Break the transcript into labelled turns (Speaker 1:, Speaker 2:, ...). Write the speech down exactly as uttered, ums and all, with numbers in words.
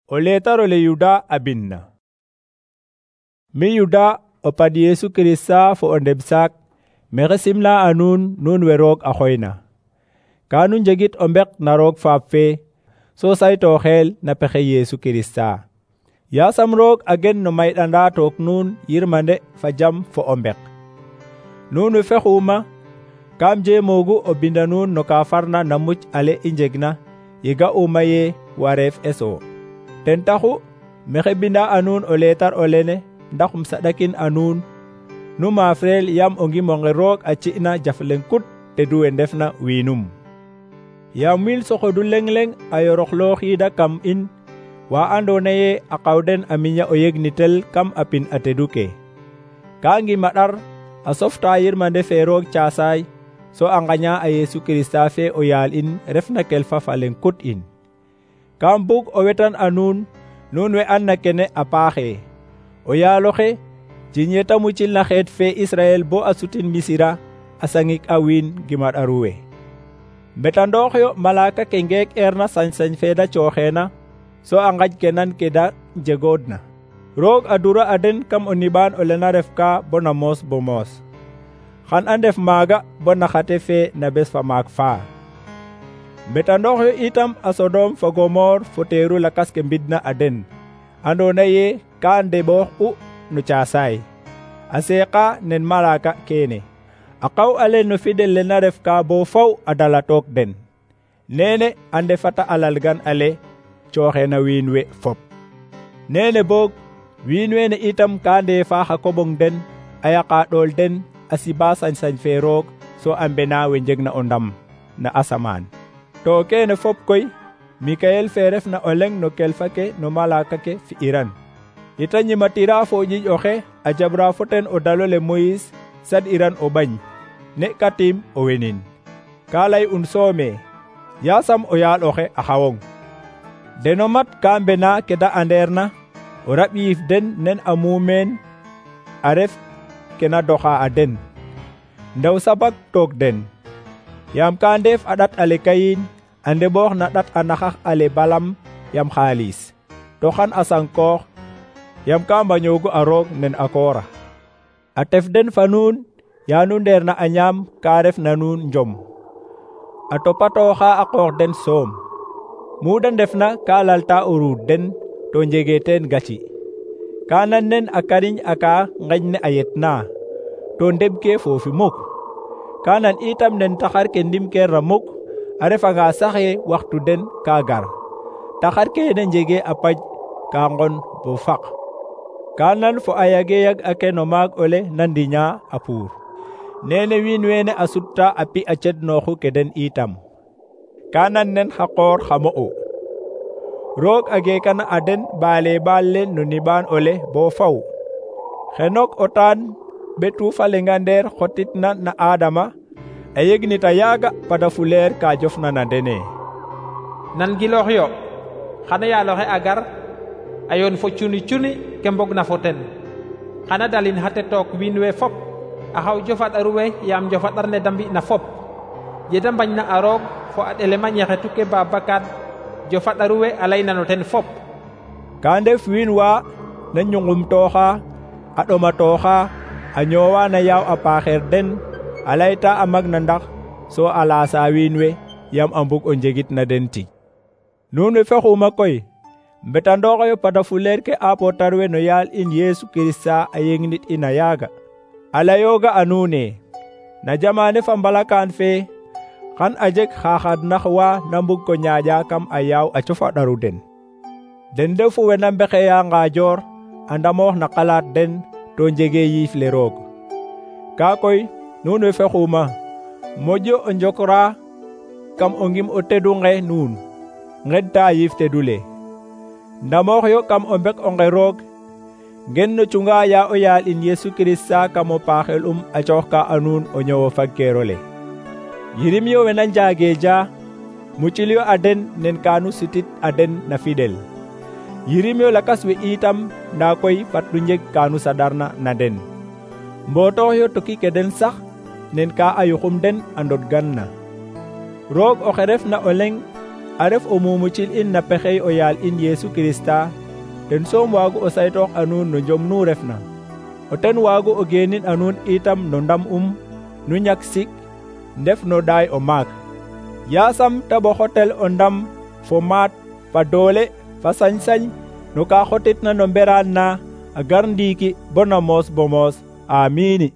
Speaker 1: O letarole Yuda a binna. Mi Yuda o pad Yesu Kirista fo o ndeb saak maxey simna a nuun nuun we roog a xooyna. Ka nu njegit o mbek na roog faap fe so saytooxeel na pexe Yesu Kirista. Yaasam roog a gen no mayɗanda took nuun yirmande fa jam fo o mbek. Nuun we fexuuma kam jeemoogu o binda nuun no ka farna na muc ale i njegna ye ga'uma ye wareef eso. Ten taxu maxey binda a nuun o leetar o lene ndax um saɗakin a nuun nu maafreel yam o ngimonge roog a ci'na jaf leŋ kut tedu we ndefna wiinum. Yaam wiin soxodu leŋ leŋ a yoroxlooxiida kam in wa andoona ye a qawden a miña o yegnitel kam a pin a tedu ke. Ka ngima ɗar a softa yirmande fe roog caasaay so a ngaña a Yesu Kirista fe o yaal in refna kelfa fa leŋ kut in. Kam bug o wetan a nuun nuun we an na kene a paaxe. O yaaloxe jiñe ta mucil na xeet fe Israel bo a sutin Misira a sangik a wiin gima ɗaru we. Mbetandoox yo malaaka ke ngeek eerna sañ-sañ fe da cooxeena so a ngaj ke nan ke da njegoodna. Roog a dura a den kam o niɓaan o lena ref ka bo na moos bo moos. Xan a ndef maaga bo na xate fe na bes fa maak faa. Mbetandoox yo itam a Sodom fo Gomor fo teeru lakas ke mbidna a den andoona ye ka ndeɓoox u no caasaay a seeqa nen malaaka keene. A qaw ale no fidel le na ref ka bo faw a dala took den. Neene a ndefata a lalgan ale cooxeena wiin we fop. Neene boog wiin weene itam ka ndeefa xa koɓong den a yaqa ɗool den a siba sañ-sañ fe roog so a mbena we njegna o ndam na asamaan. To keene fop koy Mikayel fe refna o leŋ no kelfa ke no malaaka ke fi'iran. Ita ñimatira fo ƴiƴ oxe a jabra fo ten o dalole Moyis sad'iran o ɓañ ne katim o wenin. Ka lay un soome yaasam o yaal oxe a xawong. Deno mat ka mbena ke da anderna o raɓ yiif den nen a muumeen a ref ke na doxa a den. Ndaw sabak took den. Yaam ka ndeef a ɗat ale Kayin a ndeɓoox na ɗat a naxax ale Balam yam xaalis. To xan a sankoox yam ka mbañoogu a roog nen a koora. A tef den fa nuun ya nu ndeer na a ñaam ka ref na nuun njom. A topatooxa a qoox den soom. Mu da ndefna ka lalta o ruud den to njege teen gaci. Ka nan nen a kariñ a ka ngeñ ne a yetna to ndeɓ ke foofi muk. Ka nan itam nen taxar ke ndim keerna muk a refanga saxe waxtu den ka gar. Taxar kene njege a paj ka ngon bo faq. Ka nan fo a yage yag ake no maag ole na ndiña a puur. Nene wiin weene a sutta a pi a cednooxu ke den itam. Ka nan nen xa qoor xa mo'u. Roog a geekana a den baale baal le no niɓaan ole bo faw. Xenok o taan ɓetu fa lenga ndeer xotitna na Adama a yegnita yaaga pada fuleer ka jofna na dene.
Speaker 2: Nan giloox yo xana yaaloxe a gar a yoon fo cuni cuni ke mbog na fo ten. Xana dalin xate took wiin we fop a xaw jofaɗaru we yaam jofaɗar ne da mbi'na fop. Je da mbañna a roog fo a ɗelema ñaxetu ke Babacar jofaɗaru we a layna no ten fop.
Speaker 1: Ka ndef wiin wa na ñungumtooxa a ɗomatooxa a ñoowa na yaaw a paaxeer den a layta a magna ndax so a laasa wiin we yam a mbug o njegit na den tig. Nuun we fexuuma koy mbetandooxoyo pada fuleer ke apotar we no yaal in Yesu Kirista a yegnit ina yaaga. A layooga a nuune na jamaane fa mbalakaan fe xan a jeg xaxadnax wa na mbug ko ñaaƴa kam a yaaw a cofaɗaru den. Den ndefu we na mbexeya ngaajoor a ndamoox na xalaat den to njege yiif le roog. Ka koy nuun we fexuuma moƴo o njokra kam o ngim o tedu nge nuun ngedta yiif tedu le. Ndamoox yo kam o mbek onge roog ngen no cunga ya o yaal in Yesu Kirista kam o paaxel um a cooxka a nuun o ñowo fagkeerole. Yirim yo we na njaageja mucil yo a den nen kanu sitit a den na fidel. Yirim yo lakas we itam nda koy fat nu njeg kanu saɗarna na den. Mbotoox yo toki ke den sax nen ka a yuxum den a ndodgan na. Roog oxe refna o leŋ a ref o mumucil in na pexey o yaal in Yesu Kirista ten soom waagu o saytoox a nuun no jom nu refna o ten waagu o geenin a nuun itam no ndam um nu ñak sik ndef no ɗaay o maak. Yaasam ta ɓoxotel o ndam fo maat fa doole fa sañ-sañ no ka xotitna no mberaan na a gar ndiiki bo na moos bo moos. Amiini.